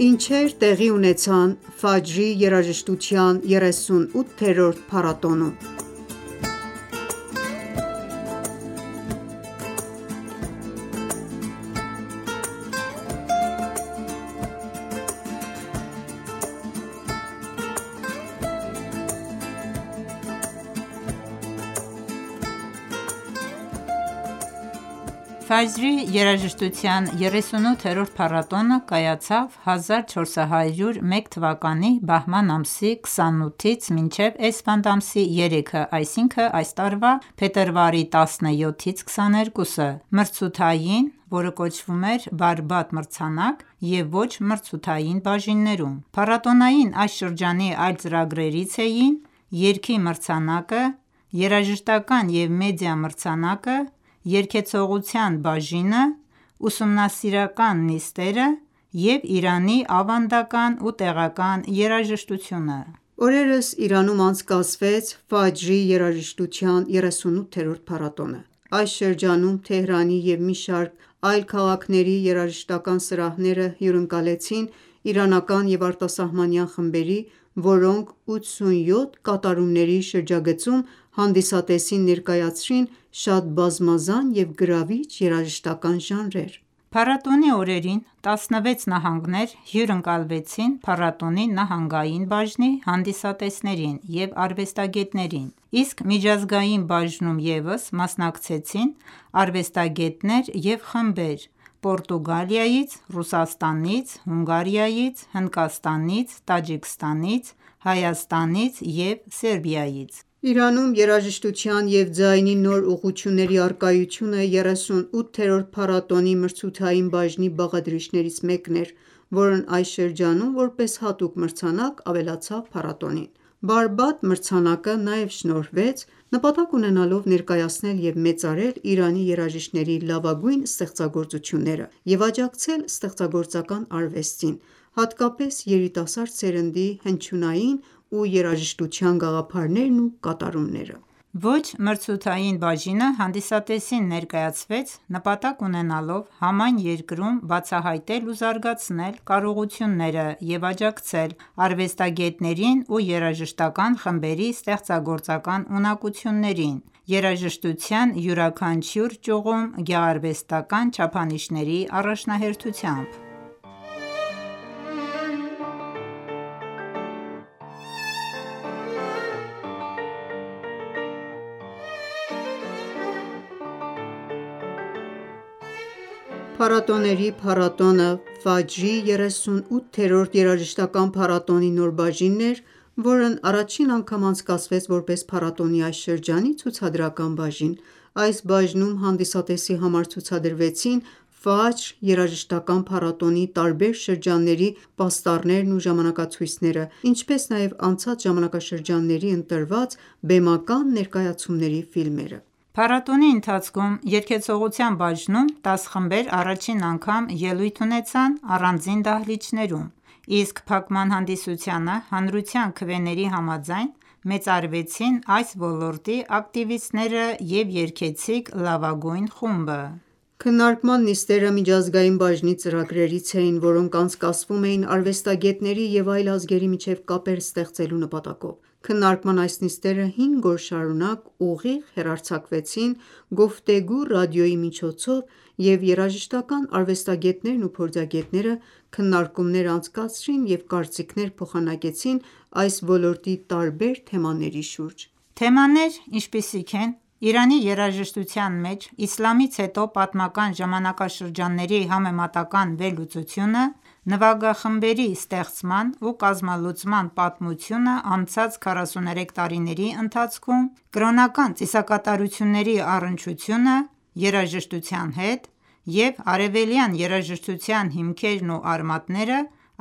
Ինչեր տեղի ունեցան Ֆաջրի երաժշտության 38-րդ փառատոնում։ Ֆաջրի երաժշտության 38-րդ փառատոնը կայացավ 1401 թվականի բահման ամսի 28-ից մինչև Էսֆանդ ամսի 3-ը, այսինքն այս տարվա փետրվարի 17-ից 22-ը, մրցութային, որը կոչվում էր բարբադ մրցանակ և ոչ մրցութային բաժիններում: Փառատոնային այս շրջանի այլ ծրագրերից էին երգի մրցանակը, երաժշտական և մեդիա մրցանակը, երգեցողության բաժինը, ուսումնասիրական նիստերը և Իրանի ավանդական ու տեղական երաժշտությունը: Օրերս Իրանում անցկացվեց Ֆաջրի երաժշտության 38-րդ փառատոնը: Այս շրջանում Թեհրանի և մի շարք այլ քաղաքների երաժշտական սրահները հյուրընկալեցին իրանական և արտասահմանյան խմբերի, որոնք 87 կատարումների շրջագծում հանդիսատեսին ներկայացրին շատ բազմազան և գրավիչ երաժշտական ժանրեր: Փառատոնի օրերին 16 նահանգներ հյուրընկալվեցին փառատոնի նահանգային բաժնի հանդիսատեսներին և արվեստագետներին, իսկ միջազգային բաժնում ևս մասնակցեցին արվեստագետներ և խմբեր Պորտուգալիայից, Ռուսաստանից, Հունգարիայից, Հնդկաստանից, Տաջիկստանից, Հայաստանից և Սերբիայից: Իրանում երաժշտության և ձայնի նոր ուղղությունների առկայությունը 38-րդ փառատոնի մրցութային բաժնի բաղադրիչներից մեկն էր, որն այս շրջանում որպես հատուկ մրցանակ ավելացավ փառատոնին: Բարբադ մրցանակը նաև շնորհվեց նպատակ ունենալով ներկայացնել և մեծարել Իրանի երաժիշտների լավագույն ստեղծագործությունները և աջակցել ստեղծագործական արվեստին, հատկապես երիտասարդ սերնդի հնչյունային ու երաժշտության գաղափարներն ու կատարումները: Ոչ մրցութային բաժինը հանդիսատեսին ներկայացվեց նպատակ ունենալով համայն երկրում բացահայտել ու զարգացնել կարողությունները և աջակցել արվեստագետներին ու երաժշտական խմբերի ստեղծագործական ունակություններին երաժշտության յուրաքանչյուր ճյուղում գեղարվեստական չափանիշների առաջնահերթությամբ: Փառատոների փառատոնը Ֆաջրի 38-րդ երաժշտական փառատոնի նոր բաժինն էր, որն առաջին անգամ անցկացվեց որպես փառատոնի այս շրջանի ցուցադրական բաժին: Այս բաժնում հանդիսատեսի համար ցուցադրվեցին Ֆաջր երաժշտական փառատոնի տարբեր շրջանների պաստառներն ու ժամանակացույցները, ինչպես նաև անցած ժամանակաշրջանների ընտրված բեմական ներկայացումների ֆիլմերը: Փառատոնի ընթացքում երգեցողության բաժնում 10 խմբեր առաջին անգամ ելույթ ունեցան առանձին դահլիճներում, իսկ փակման հանդիսությանը հանրության քվեների համաձայն մեծարվեցին այս ոլորտի ակտիվիստները և երգեցիկ լավագույն խումբը: Քննարկման նիստերը միջազգային բաժնի ծրագրերից էին, որոնք անցկացվում էին արվեստագետների և այլ ազգերի միջև կապեր ստեղծելու նպատակով: Քննարկման այս նիստերը 5 օր շարունակ ուղիղ հեռարձակվեցին «Գոֆթեգու» ռադիոյի միջոցով և երաժշտական արվեստագետներն ու փորձագետները քննարկումներ անցկացրին և կարծիքներ փոխանակեցին այս ոլորտի տարբեր թեմաների շուրջ: Թեմաներ, ինչպիսիք են Իրանի երաժշտության մեջ իսլամից հետո պատմական ժամանակաշրջանների համեմատական վերլուծությունը, նվագախմբերի ստեղծման ու կազմալուծման պատմությունը անցած 43 տարիների ընթացքում, կրոնական ծիսակատարությունների առնչությունը երաժշտության հետ և արևելյան երաժշտության հիմքերն ու արմատները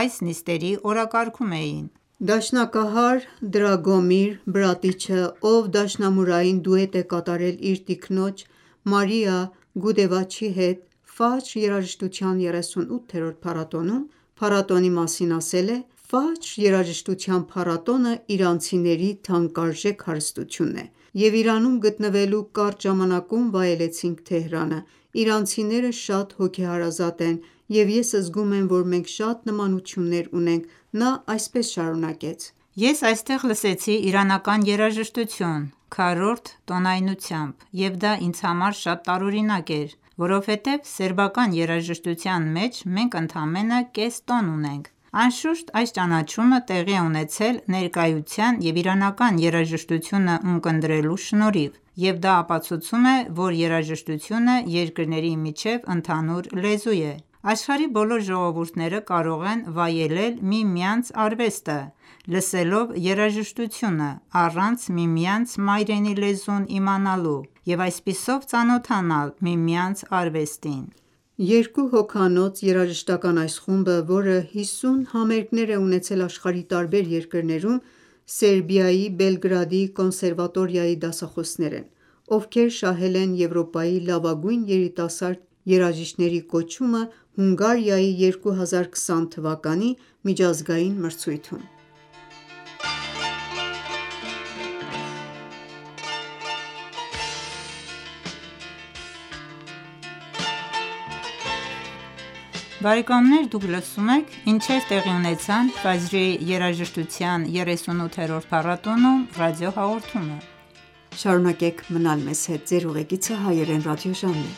այս նիստերի օրակարգում էին: Դաշնակահար Դրագոմիր Բրատիչը, ով դաշնամուրային դուետ է կատարել իր տիկնոջ Մարիա Գուդեվաչի հետ Ֆաջր երաժշտության 38-րդ փառատոնում, փառատոնի մասին ասել է. «Ֆաջր երաժշտության փառատոնը իրանցիների թանկարժեք հարստությունն է և Իրանում գտնվելու կարճ ժամանակում վայելեցինք Թեհրանը: Իրանցիները շատ հոգեհարազատ են և ես զգում եմ, որ մենք շատ նմանություններ ունենք, նա այսպես շարունակեց. Ես այստեղ լսեցի իրանական երաժշտություն քառորդ տոնայնությամբ և դա ինձ համար շատ տարօրինակ էր, որովհետև սերբական երաժշտության մեջ մենք ընդամենը կես տոն ունենք: Անշուշտ, այս ճանաչումը տեղի է ունեցել ներկայության և իրանական երաժշտությունը ունկնդրելու շնորհիվ, և դա ապացուցում է, որ երաժշտությունը երկրների միջև ընդհանուր լեզու է: Աշխարհի բոլոր ժողովուրդները կարող են վայելել միմյանց արվեստը, լսելով երաժշտությունը, առանց միմյանց մայրենի լեզուն իմանալու և այսպիսով ծանոթանալ միմյանց արվեստին: Երկու հոգանոց երաժշտական այս խումբը, որը 50 համերգներ է ունեցել աշխարհի տարբեր երկրներում, Սերբիայի Բելգրադի կոնսերվատորիայի դասախոսներ են, ովքեր շահել են Եվրոպայի լավագույն երիտասարդ երաժիշտների կոչումը Հունգարիայի 2020 թվականի միջազգային մրցույթում: Ինչեր տեղի ունեցան Ֆաջրի երաժշտության 38-րդ փառատոնում ռադիոհաղորդումը: Շարունակեք մնալ մեզ հետ: Ձեր ուղեկիցը Հայերեն ռադիոժամն է: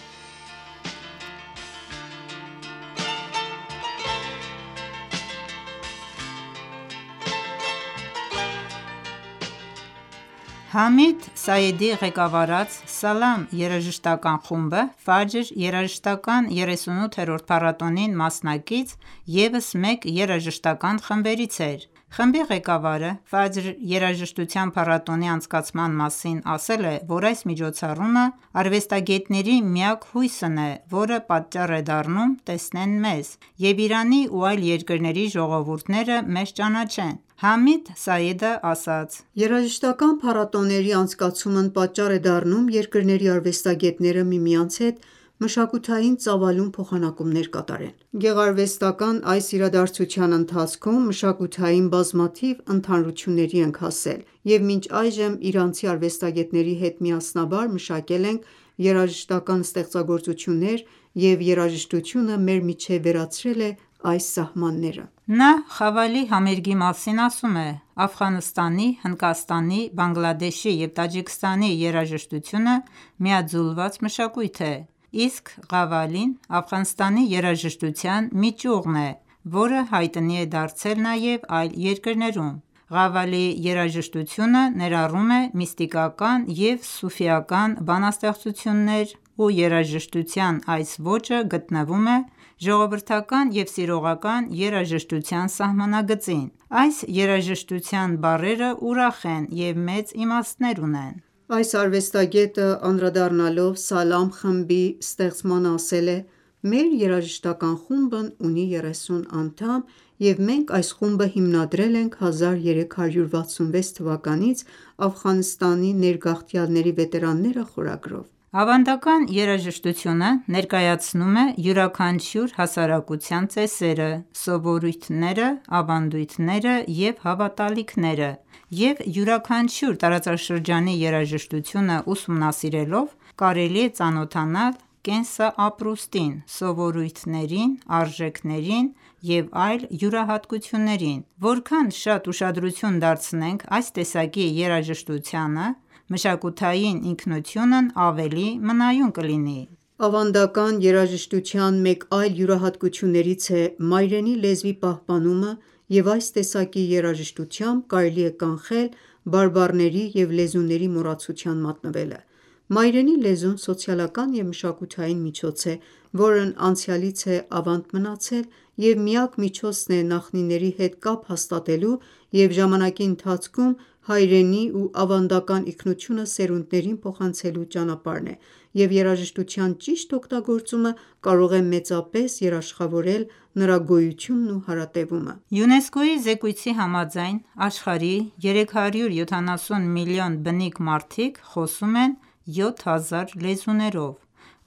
Համիդ Սայեդի ղեկավարած «Սալամ» երաժշտական խումբը Ֆաջր երաժշտական 38-րդ փառատոնին մասնակից ևս մեկ երաժշտական խմբերից էր: Խմբի ղեկավարը Ֆաջր երաժշտության փառատոնի անցկացման մասին ասել է, որ այս միջոցառումը արվեստագետների միակ հույսն է, որը պատճառ է դառնում տեսնեն մեզ և Իրանի ու այլ երկրների ժողովուրդները մեզ ճանաչեն: Համիդ Սայեդը ասաց. «Երաժշտական փառատոների անցկացումն պատճառ է դառնում երկրների արվեստագետները միմյանց հետ մշակութային ծավալուն փոխանակումներ կատարեն: Գեղարվեստական այս իրադարձության ընթացքում մշակութային բազմաթիվ ընդհանրությունների ենք հասել և մինչ այժմ իրանցի արվեստագետների հետ միասնաբար մշակել ենք երաժշտական ստեղծագործություններ և երաժշտությունը մեր միջև վերացրել է այս սահմանները»: Նա Խավալի համերգի մասին ասում է. «Աֆղանստանի, Հնդկաստանի, Բանգլադեշի և Տաջիկստանի երաժշտությունը միաձուլված մշակույթ է, իսկ Qawwali-ն Աֆղանստանի երաժշտության մի ճյուղն է, որը հայտնի է դարձել նաև այլ երկրներում: Qawwali երաժշտությունը ներառում է միստիկական և սուֆիական բանաստեղծություններ ու երաժշտության այս ոճը գտնվում է ժողովրդական և սիրողական երաժշտության սահմանագծին: Այս երաժշտության բառերը ուրախ են և մեծ իմաստներ ունեն»: Այս արվեստագետը անդրադառնալով «Սալամ» խմբի ստեղծմանը ասել է. «Մեր երաժշտական խումբն ունի 30 անդամ և մենք այս խումբը հիմնադրել ենք 1366 թվականից Աֆղանստանի ներգաղթյալների վետերանները խորագրով»: Ավանդական երաժշտությունը ներկայացնում է յուրաքանչյուր հասարակության ծեսերը, սովորույթները, ավանդույթները և հավատալիքները և յուրաքանչյուր տարածաշրջանի երաժշտությունը ուսումնասիրելով կարելի է ծանոթանալ կենսապրուստին, սովորույթներին, արժեքներին և այլ յուրահատկություններին: Որքան շատ ուշադրություն դարձնենք այս տեսակի երաժշտությանը, մշակութային ինքնությունն ավելի մնայուն կլինի: Ավանդական երաժշտության մեկ այլ յուրահատկություններից է մայրենի լեզվի պահպանումը և այս տեսակի երաժշտությամբ կարելի է կանխել բարբառների և լեզուների մոռացության մատնվելը: Մայրենի լեզուն սոցիալական և մշակութային միջոց է, որն անցյալից է ավանդ մնացել և միակ միջոցն է նախնիների հետ կապ հաստատելու և ժամանակի ընթացքում հայրենի ու ավանդական ինքնությունը սերունդներին փոխանցելու ճանապարհն է և երաժշտության ճիշտ օգտագործումը կարող է մեծապես երաշխավորել նրա գոյությունն ու հարատևումը: ՅՈՒՆԵՍԿՕ-ի զեկույցի համաձայն աշխարհի 370 միլիոն բնիկ մարդիկ խոսում են 7000 լեզուներով,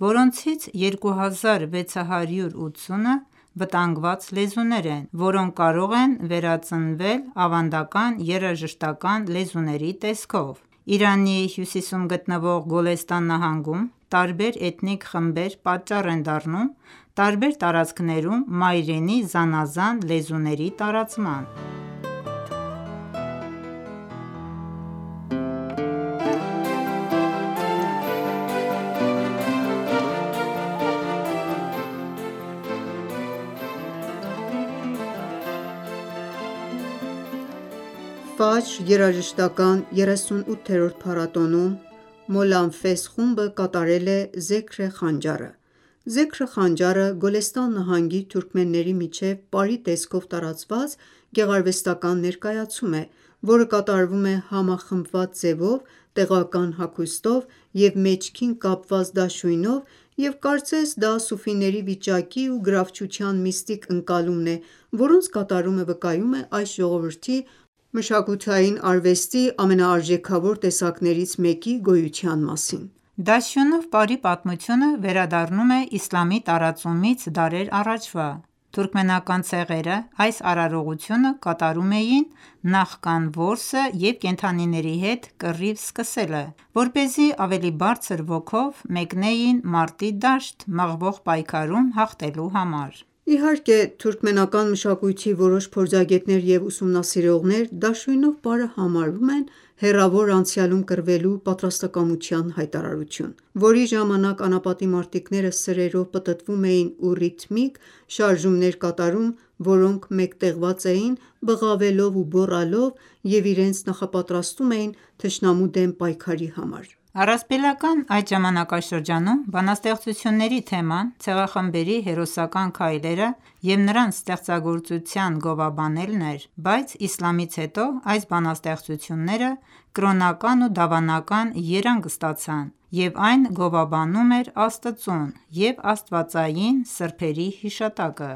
որոնցից 2680-ը վտանգված լեզուներ են, որոնք կարող են վերածնվել ավանդական երաժշտական լեզուների տեսքով: Իրանի հյուսիսում գտնվող Գոլեստան նահանգում տարբեր էթնիկ խմբեր պատճառ են դառնում տարբեր տարածքներում մայրենի զանազան լեզուների տարածման: Ֆաջր երաժշտական 38-րդ փառատոնում Մոլանֆես խումբը կատարել է «Զեքր Խանջար»-ը: «Զեքր Խանջար»-ը Գոլեստան նահանգի թուրքմենների միջև պարի տեսքով տարածված գեղարվեստական ներկայացում է, որը կատարվում է համախմբված ձևով, տեղական հագուստով և մեջքին կապված դաշույնով և կարծես դա սուֆիների վիճակի ու գրավչության միստիկ ընկալումն է, որոնց կատարումը վկայում է այս ժողովրդի մշակութային արվեստի ամենաարժեքավոր տեսակներից մեկի գոյության մասին: Դաշույնով պարի պատմությունը վերադառնում է իսլամի տարածումից դարեր առաջվա: Թուրքմենական ցեղերը այս արարողությունը կատարում էին նախքան որսը և կենդանիների հետ կռիվ սկսելը, որպեսզի ավելի բարձր ոգով մեկնեին մարտի դաշտ մղվող պայքարում հաղթելու համար: Իհարկե թուրքմենական մշակույթի որոշ փորձագետներ և ուսումնասիրողներ դաշույնով պարը համարում են հեռավոր անցյալում կռվելու պատրաստակամության հայտարարություն, որի ժամանակ անապատի մարտիկները սրերով պտտվում էին ու ռիթմիկ շարժումներ կատարում, որոնք մեկտեղված էին բղավելով ու գոռալով և իրենց նախապատրաստում էին թշնամու դեմ պայքարի համար: Առասպելական այդ ժամանակաշրջանում բանաստեղծությունների թեման ցեղախմբերի հերոսական քայլերը և նրանց ստեղծագործության գովաբանելն էր, բայց իսլամից հետո այս բանաստեղծությունները կրոնական ու դավանական երանգ ստացան և այն գովաբանում էր Աստծուն և աստվածային սրբերի հիշատակը: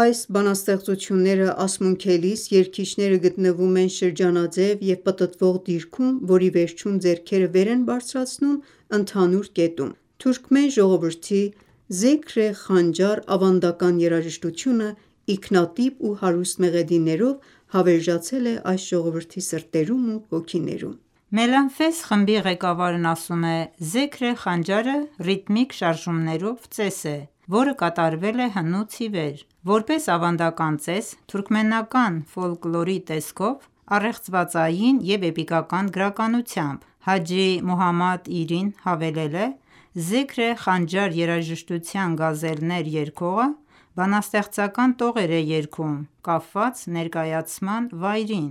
Այս բանաստեղծությունները ասմունքելիս երգիչները գտնվում են շրջանաձև և պտտվող դիրքում, որի վերջում ձեռքերը վեր են բարձրացնում ընդհանուր կետում: Թուրքմեն ժողովրդի «Զեքր Խանջար» ավանդական երաժշտությունը ինքնատիպ ու հարուստ մեղեդիներով հավերժացել է այս ժողովրդի սրտերում ու հոգիներում: Մելանֆես խմբի ղեկավարն ասում է. «Զեքր Խանջարը ռիթմիկ շարժումներով ծես է, որը կատարվել է հնուց ի վեր: Որպես ավանդական ծես, թուրքմենական ֆոլկլորի տեսքով, առեղծվածային և էպիկական գրականությամբ: Հաջի Մոհամմադ Իրին հավելել է. «Զեքր Խանջար երաժշտության գազելներ երգողը բանաստեղծական տողեր է երգում կապված ներկայացման վայրին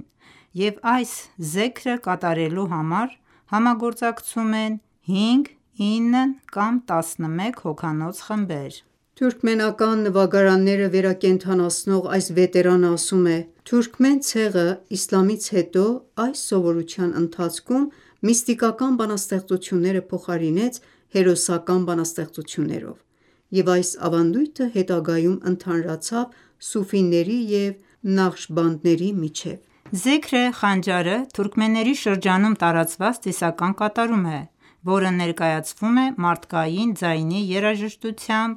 և այս զեքրը կատարելու համար համագործակցում են 5, 9 կամ 11 հոգանոց խմբեր»: Թուրքմենական նվագարանները վերակենդանացնող այս վետերանը ասում է. «Թուրքմեն ցեղը իսլամից հետո այս սովորության ընթացքում միստիկական բանաստեղծությունները փոխարինեց հերոսական բանաստեղծություններով և այս ավանդույթը հետագայում ընդհանրացավ սուֆիների և նաղշբանդների միջև»: Զեքր Խանջարը թուրքմենների շրջանում տարածված ծիսական կատարում է, որը ներկայացվում է մարդկային ձայնի երաժշտությամբ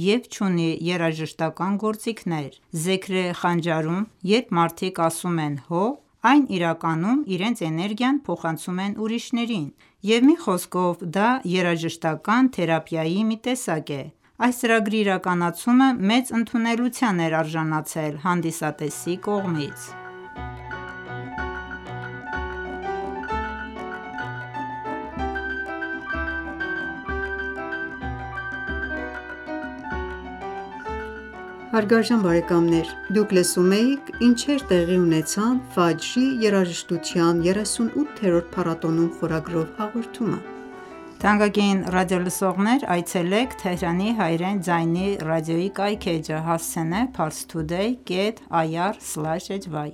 և չունի երաժշտական գործիքներ: Զեքր Խանջարում երբ մարդիկ ասում են հո, այն իրականում իրենց էներգիան փոխանցում են ուրիշներին և մի խոսքով դա երաժշտական թերապիայի մի տեսակ է: Այս ծրագրի իրականացումը մեծ ընդունելության էր արժանացել հանդիսատեսի կողմից: Ինչեր տեղի ունեցան Ֆաջրի երաժշտության 38-րդ փառատոնում խորագրով հաղորդումը: Այցելեք Թեհրանի հայրեն ձայնի ռադիոյի կայքէջը հասցենե parstoday.ir/hy